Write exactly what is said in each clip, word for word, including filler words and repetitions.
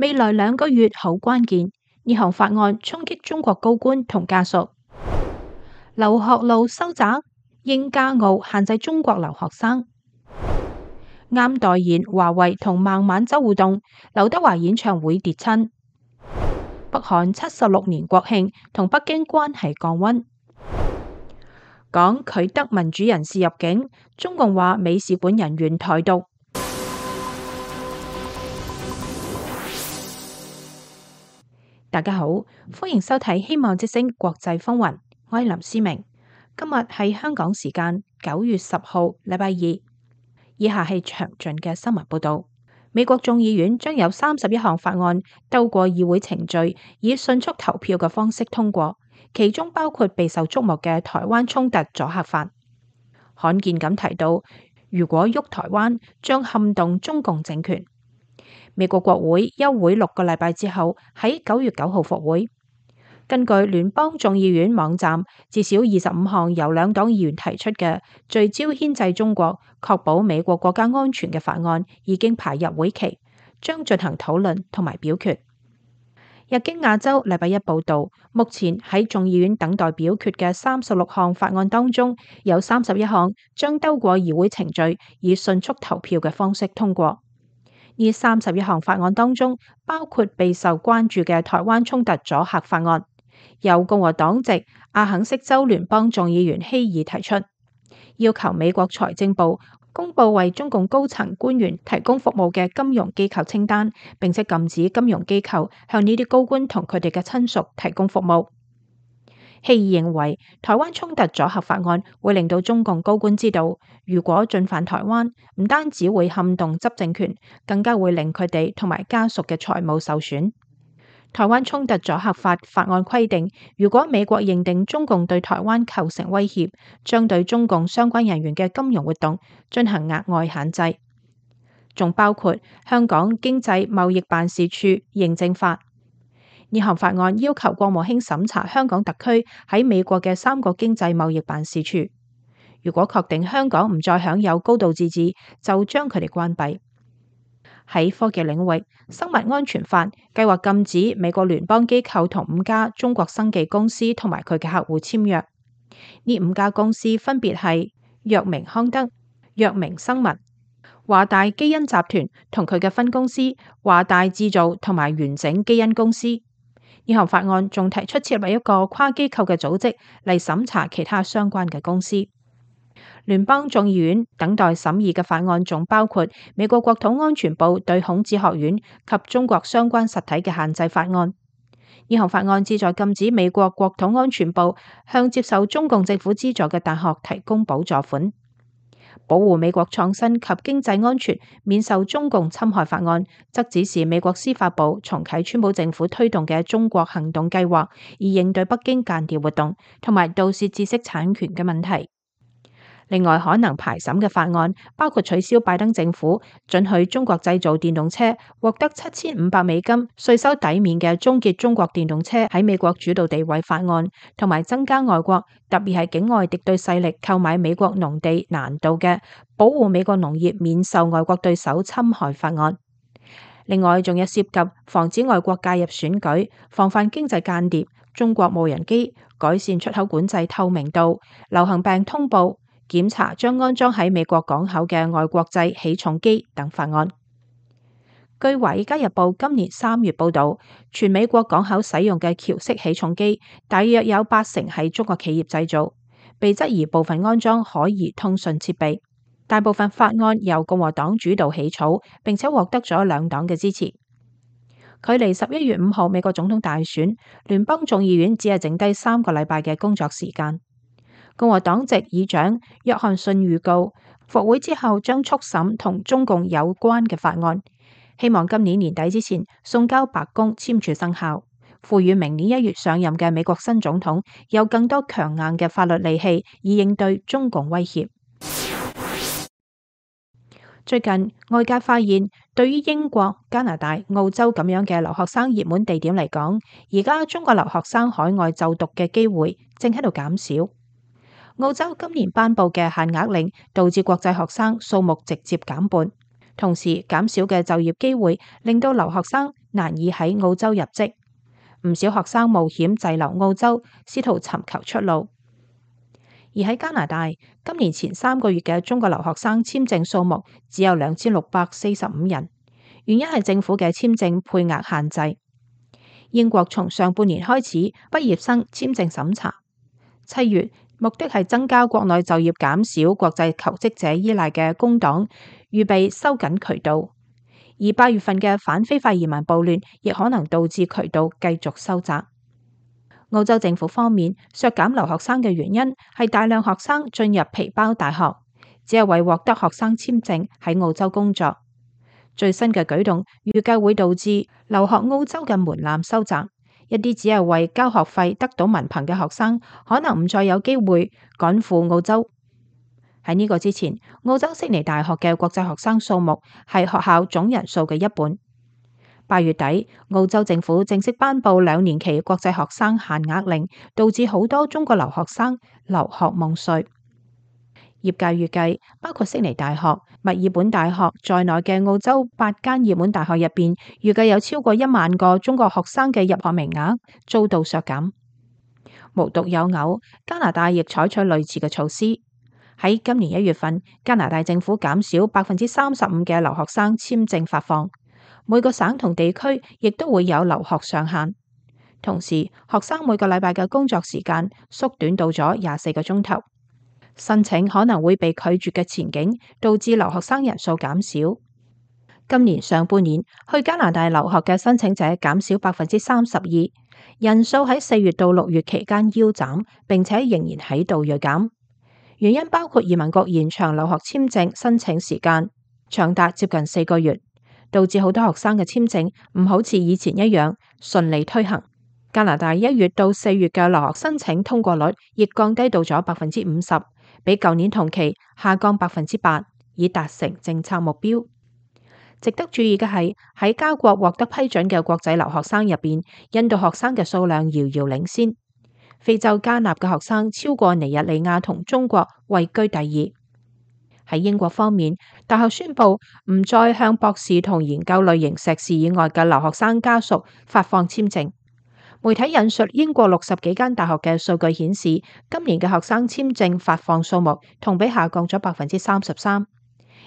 未來兩個月好關鍵，呢項法案衝擊中國高官同家屬。留學路收窄，英加澳限制中國留學生。啱代言華為同孟晚舟互動，劉德華演唱會跌親。北韓七十六年國慶同北京關係降溫。講拒德民主人士入境，中共話美使館人員台獨。大家好，歡迎收睇《希望之聲國際風雲》，我係林思明。今日係香港時間九月十號，禮拜二。以下係詳盡嘅新聞報道。美國眾議院將有三十一項法案透過議會程序，以迅速投票嘅方式通過，其中包括備受矚目嘅台灣衝突阻嚇法。罕見咁提到，如果喐台灣，將撼動中共政權。美國國會休會六個禮拜之後，喺九月九號復會。根據聯邦眾議院網站，至少二十五項由兩黨議員提出嘅聚焦牽制中國、確保美國國家安全嘅法案已經排入會期，將進行討論同埋表決。日經亞洲禮拜一報道，目前喺眾議院等待表決嘅三十六項法案當中，有三十一項將兜過議會程序，以迅速投票嘅方式通過。呢三十一項法案當中，包括備受關注嘅台灣衝突阻嚇法案，由共和黨籍阿肯色州聯邦眾議員希爾提出，要求美國財政部公布為中共高層官員提供服務嘅金融機構清單，並且禁止金融機構向呢啲高官同佢哋嘅親屬提供服務。希爾認為，台灣衝突阻嚇法案會令到中共高官知道，如果進犯台灣，唔單止會撼動執政權，更加會令佢哋同埋家屬嘅財務受損。台灣衝突阻嚇法法案規定，如果美國認定中共對台灣構成威脅，將對中共相關人員嘅金融活動進行額外限制，仲包括香港經濟貿易辦事處認證法。呢項法案要求國務卿審查香港特區喺美國嘅三個經濟貿易辦事處，如果確定香港唔再享有高度自治，就將佢哋關閉。喺科技領域，生物安全法計劃禁止美國聯邦機構同五家中國生技公司同埋佢嘅客戶簽約。呢五家公司分別係藥明康德、藥明生物、華大基因集團同佢嘅分公司華大製造同埋完整基因公司。呢項法案仲提出設立一個跨機構嘅組織嚟審查其他相關嘅公司。聯邦眾議院等待審議嘅法案仲包括美國國土安全部對孔子學院及中國相關實體嘅限制法案。呢項法案旨在禁止美國國土安全部向接受中共政府資助嘅大學提供補助款。保護美國創新及經濟安全免受中共侵害法案，則指示美國司法部重啟川普政府推動嘅中國行動計劃，以應對北京間諜活動同埋盜竊知識產權嘅問題。另外，可能排審嘅法案包括取消拜登政府准許中國製造電動車獲得七千五百美金稅收抵免嘅終結中國電動車喺美國主導地位法案，同埋增加外國特別係境外敵對勢力購買美國農地難度嘅保護美國農業免受外國對手侵害法案。另外，仲有涉及防止外國介入選舉、防範經濟間諜、中國無人機、改善出口管制透明度、流行病通報、檢查將安裝喺美國港口嘅外國製起重機等法案。據《華爾街日報》今年三月報道，全美國港口使用嘅橋式起重機大約有八成係中國企業製造，被質疑部分安裝可疑通訊設備。大部分法案由共和黨主導起草，並且獲得咗兩黨嘅支持。距離十一月五號美國總統大選，聯邦眾議院只係剩低三個禮拜嘅工作時間。共和黨籍議長約翰遜預告，復會之後將速審同中共有關嘅法案，希望今年年底之前送交白宮簽署生效，賦予明年一月上任嘅美國新總統有更多強硬嘅法律利器，以應對中共威脅。最近外界發現，對於英國、加拿大、澳洲咁樣嘅留學生熱門地點嚟講，而家中國留學生海外就讀嘅機會正喺度減少。澳洲今年頒布嘅限額令導致國際學生數目直接減半，同時減少嘅就業機會令到留學生難以喺澳洲入職，唔少學生冒險滯留澳洲，試圖尋求出路。而喺加拿大，今年前三個月嘅中國留學生簽證數目只有兩千六百四十五人，原因係政府嘅簽證配額限制。英國從上半年開始畢業生簽證審查，七月目的係增加國內就業、減少國際求職者依賴嘅工黨預備收緊渠道，而八月份嘅反非法移民暴亂亦可能導致渠道繼續收窄。澳洲政府方面削減留學生嘅原因係大量學生進入皮包大學，只係為獲得學生簽證喺澳洲工作。最新嘅舉動預計會導致留學澳洲嘅門檻收窄，一啲只係為交學費得到文憑嘅學生可能唔再有機會趕赴澳洲。喺呢個之前，澳洲悉尼大學嘅國際學生數目係學校總人數嘅一半。八月底，澳洲政府正式頒布兩年期國際學生限額令，導致好多中國留學生留學夢碎。業界預計，包括悉尼大學、墨爾本大學在內嘅澳洲八間熱門大學入邊，預計有超過一萬個中國學生嘅入學名額遭到削減。無獨有偶，加拿大亦採取類似嘅措施。喺今年一月份，加拿大政府減少百分之三十五嘅留學生簽證發放，每個省同地區亦都會有留學上限。同時，學生每個禮拜嘅工作時間縮短到咗廿四個鐘頭。申請可能會被拒絕嘅前景，導致留學生人數減少。今年上半年去加拿大留學嘅申請者減少百分之三十二，人數喺四月到六月期間腰斬，並且仍然喺度銳減。原因包括移民局延長留學簽證申請時間，長達接近四個月，導致好多學生嘅簽證唔好似以前一樣順利推行。加拿大一月到四月嘅留學申請通過率亦降低到咗百分之五十。比舊年同期下降百分之八，以達成政策目標。值得注意嘅係，喺加國獲得批准嘅國際留學生入邊，印度學生嘅數量遙遙領先。非洲加納嘅學生超過尼日利亞同中國，位居第二。喺英國方面，大學宣布唔再向博士同研究類型碩士以外嘅留學生家屬發放簽證。媒體引述英國六十幾間大學嘅數據顯示，今年嘅學生簽證發放數目同比下降咗百分之三十三，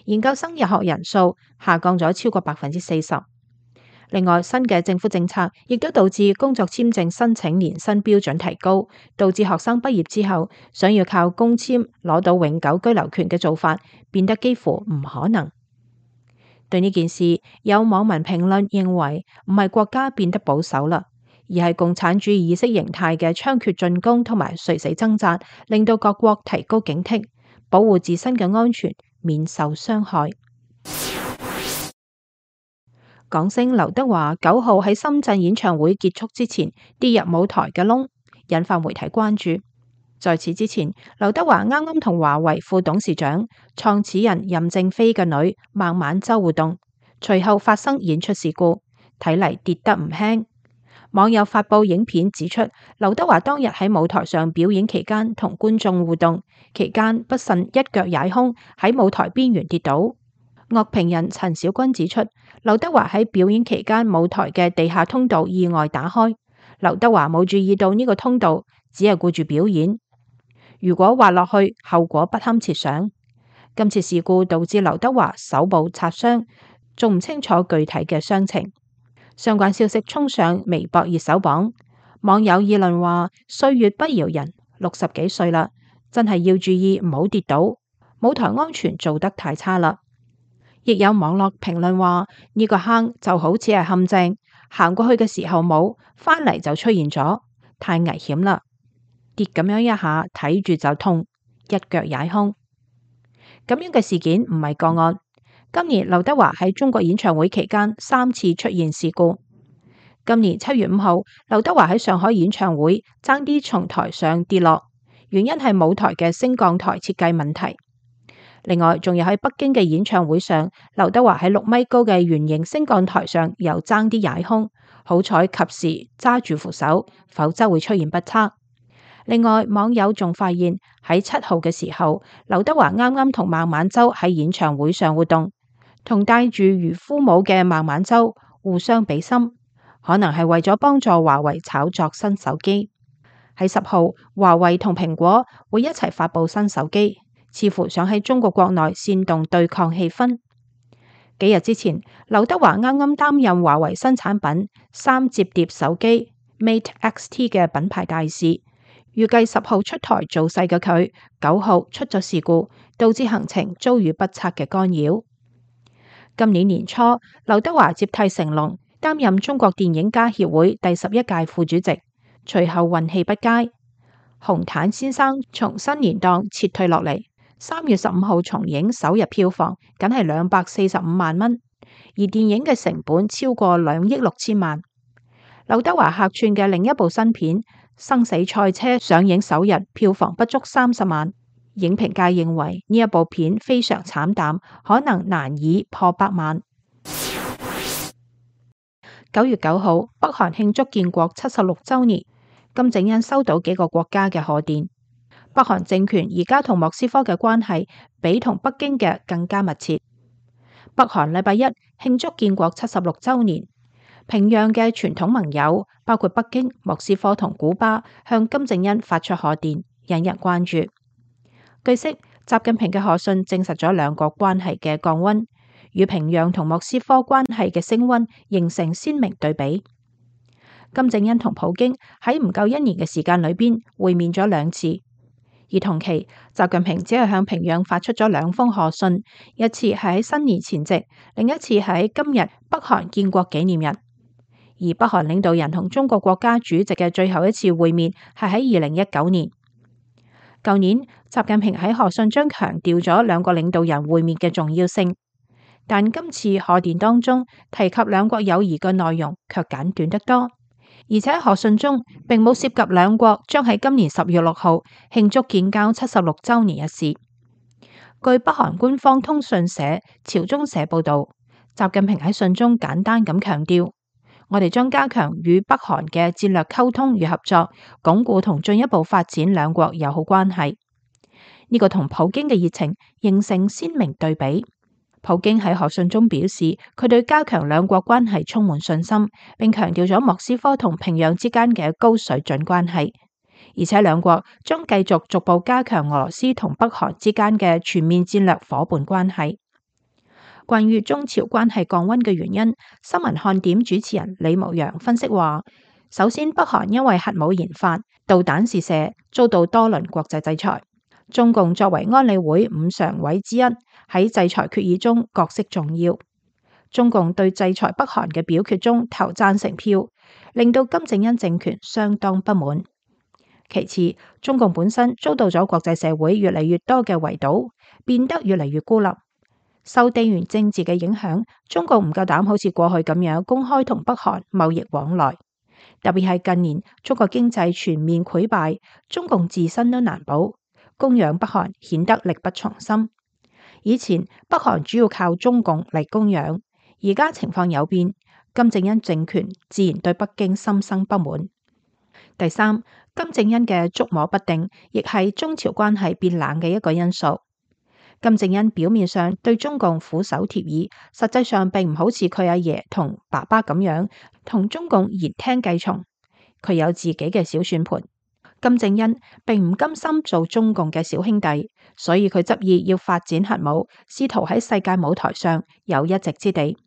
研究生入學人數下降咗超過百分之四十。另外，新嘅政府政策亦都導致工作簽證申請年薪標準提高，導致學生畢業之後想要靠工簽攞到永久居留權嘅做法變得幾乎唔可能。對呢件事，有網民評論認為唔係國家變得保守啦，而係共產主義意識形態嘅猖獗進攻同埋垂死掙扎，令到各國提高警惕，保護自身嘅安全，免受傷害。港星劉德華九號喺深圳演唱會結束之前跌入舞台嘅窿，引發媒體關注。在此之前，劉德華啱啱同華為副董事長、創始人任正非嘅女孟晚舟互動，隨後發生演出事故，睇嚟跌得唔輕。網友發布影片指出，劉德華當日喺舞台上表演期間同觀眾互動，期間不慎一腳踩空，喺舞台邊緣跌倒。樂評人陳小君指出，劉德華喺表演期間舞台嘅地下通道意外打開，劉德華冇注意到呢個通道，只係顧住表演。如果滑落去，後果不堪設想。今次事故導致劉德華手部擦傷，仲唔清楚具體嘅傷情。相關消息衝上微博熱搜榜，網友議論話：歲月不饒人，六十幾歲啦，真係要注意唔好跌倒，舞台安全做得太差啦。亦有網絡評論話：呢個坑就好似係陷阱，行過去嘅時候冇，翻嚟就出現咗，太危險啦！跌咁樣一下，睇住就痛，一腳踩空。咁樣嘅事件唔係個案。今年劉德華喺中國演唱會期間三次出現事故。今年七月五號，劉德華喺上海演唱會爭啲從台上跌落，原因係舞台嘅升降台設計問題。另外，仲有喺北京嘅演唱會上，劉德華喺六米高嘅圓形升降台上又爭啲踩空，好彩及時揸住扶手，否則會出現不測。另外，網友仲發現喺七號嘅時候，劉德華啱啱同孟晚舟喺演唱會上活動，同戴住漁夫帽嘅孟晚舟互相比心，可能係為咗幫助華為炒作新手機。喺十號，華為同蘋果會一齊發佈新手機，似乎想喺中國國內煽動對抗氣氛。幾日之前，劉德華啱啱擔任華為新產品三摺疊手機 Mate X T 嘅品牌大使，預計十號出台造勢嘅佢，九號出咗事故，導致行程遭遇不測嘅干擾。今年年初，劉德華接替成龍擔任中國電影家協會第十一屆副主席，隨後運氣不佳，紅毯先生從新年檔撤退落嚟。三月十五號重映首日票房僅係兩百四十五萬蚊，而電影嘅成本超過兩億六千萬。劉德華客串嘅另一部新片《生死賽車》上映首日票房不足三十萬，影評界認為呢一部片非常慘淡，可能難以破百萬。九月九號，北韓慶祝建國七十六週年，金正恩收到幾個國家嘅賀電。北韓政權而家同莫斯科嘅關係比同北京嘅更加密切。北韓禮拜一慶祝建國七十六週年，平壤嘅傳統盟友包括北京、莫斯科同古巴向金正恩發出賀電，引人關注。據悉，習近平嘅賀信證實咗兩國關係嘅降溫，與平壤同莫斯科關係嘅升溫形成鮮明對比。金正恩同普京喺唔夠一年嘅時間裏邊會面咗兩次。而同期，習近平只係向平壤發出咗兩封賀信，一次係喺新年前夕，另一次係喺今日北韓建國紀念日。而北韓領導人同中國國家主席嘅最後一次會面係喺二零一九年。舊年，習近平喺賀信中強調咗兩個領導人會面嘅重要性，但今次賀電當中提及兩國友誼嘅內容卻簡短得多。而且賀信中並冇涉及兩國將喺今年十月六號慶祝建交七十六週年一事。據北韓官方通訊社朝中社報導，習近平喺信中簡單咁強調，我哋將加強與北韓嘅戰略溝通與合作，鞏固同進一步發展兩國友好關係。呢個同普京嘅熱情形成鮮明對比。普京喺賀信中表示，佢對加強兩國關係充滿信心，並強調咗莫斯科同平壤之間嘅高水準關係，而且兩國將繼續逐步加強俄羅斯同北韓之間嘅全面戰略夥伴關係。關於中朝關係降溫嘅原因，新聞看點主持人李牧陽分析話，首先北韓因為核武研發、導彈試射遭到多輪國際制裁。中共作為安理會五常委之一，喺制裁決議中角色重要。中共對制裁北韓嘅表決中投贊成票，令到金正恩政權相當不滿。其次，中共本身遭到咗國際社會越嚟越多嘅圍堵，變得越嚟越孤立。受地緣政治嘅影響，中共唔夠膽好似過去咁樣公開同北韓貿易往來。特別係近年中國經濟全面潰敗，中共自身都難保。供養北韓顯得力不從心。以前北韓主要靠中共嚟供養，而家情況有變，金正恩政權自然對北京心生不滿。第三，金正恩嘅捉摸不定，亦係中朝關係變冷嘅一個因素。金正恩表面上對中共俯首帖耳，實際上並唔好似佢阿爺同爸爸咁樣同中共言聽計從，佢有自己嘅小算盤。金正恩並唔甘心做中共嘅小兄弟，所以佢執意要發展核武，試圖喺世界舞台上有一席之地。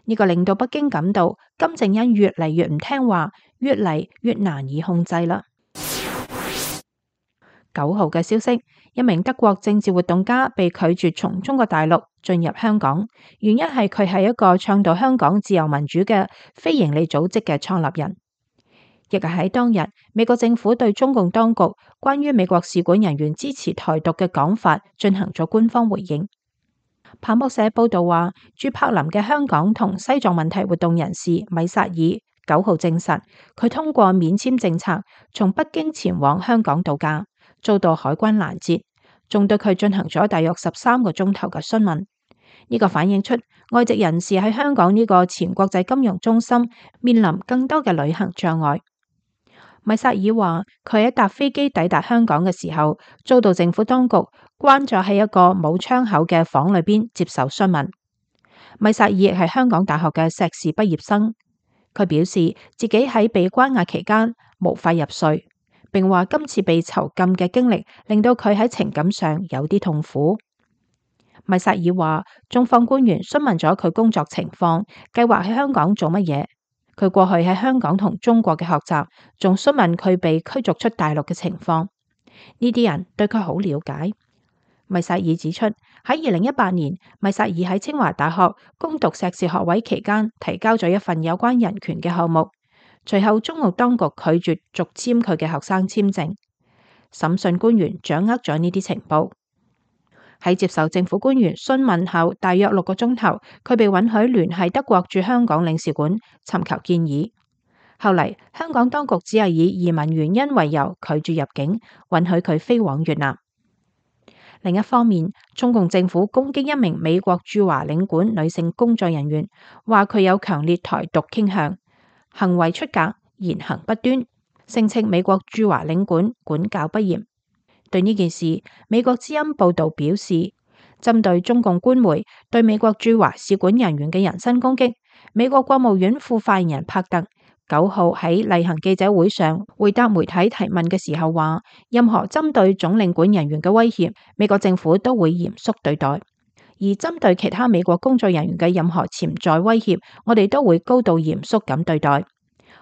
呢個令到北京感到金正恩越嚟越唔聽話，越嚟越難以控制啦。九號嘅消息，一名德國政治活動家被拒絕從中國大陸進入香港，原因係佢係一個倡導香港自由民主嘅非營利組織嘅創立人。亦係喺當日，美國政府對中共當局關於美國使館人員支持台獨嘅講法進行咗官方回應。彭博社報道話，駐柏林嘅香港同西藏問題活動人士米薩爾九號證實，佢通過免簽政策從北京前往香港度假，遭到海關攔截，仲對佢進行咗大約十三個鐘頭嘅詢問。呢個反映出外籍人士喺香港呢個前國際金融中心面臨更多嘅旅行障礙。米薩爾話，佢喺搭飛機抵達香港嘅時候，遭到政府當局關咗喺一個冇窗口嘅房裏邊接受詢問。米薩爾亦係香港大學嘅碩士畢業生，佢表示自己喺被關押期間無法入睡，並話今次被囚禁嘅經歷令到佢喺情感上有啲痛苦。米薩爾話，中方官員詢問咗佢工作情況，計劃喺香港做乜嘢。佢過去喺香港同中國嘅學習，仲詢問佢被驅逐出大陸嘅情況。呢啲人對佢好了解。米薩爾指出，喺二零一八年，米薩爾喺清華大學攻讀碩士學位期間，提交咗一份有關人權嘅項目。隨後，中共當局拒絕續簽佢嘅學生簽證。審訊官員掌握咗呢啲情報。喺接受政府官員詢問後，大約六個鐘頭，佢被允許聯繫德國駐香港領事館尋求建議。後嚟，香港當局只係以移民原因為由拒絕入境，允許佢飛往越南。另一方面，中共政府攻擊一名美國駐華領館女性工作人員，話佢有強烈台獨傾向，行為出格，言行不端，聲稱美國駐華領館管教不嚴。對呢件事，美國之音報道表示，針對中共官媒對美國駐華使館人員嘅人身攻擊，美國國務院副發言人帕特九號喺例行記者會上回答媒體提問嘅時候話，任何針對總領館人員嘅威脅，美國政府都會嚴肅對待；而針對其他美國工作人員嘅任何潛在威脅，我哋都會高度嚴肅咁對待。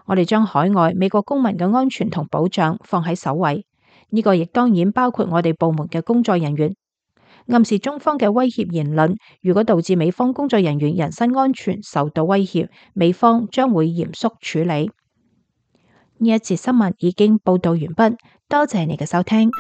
我哋將海外美國公民嘅安全同保障放喺首位。呢個亦當然包括我哋部門嘅工作人員。暗示中方嘅威脅言論，如果導致美方工作人員人身安全受到威脅，美方將會嚴肅處理。呢一節新聞已經報道完畢，多謝你嘅收聽。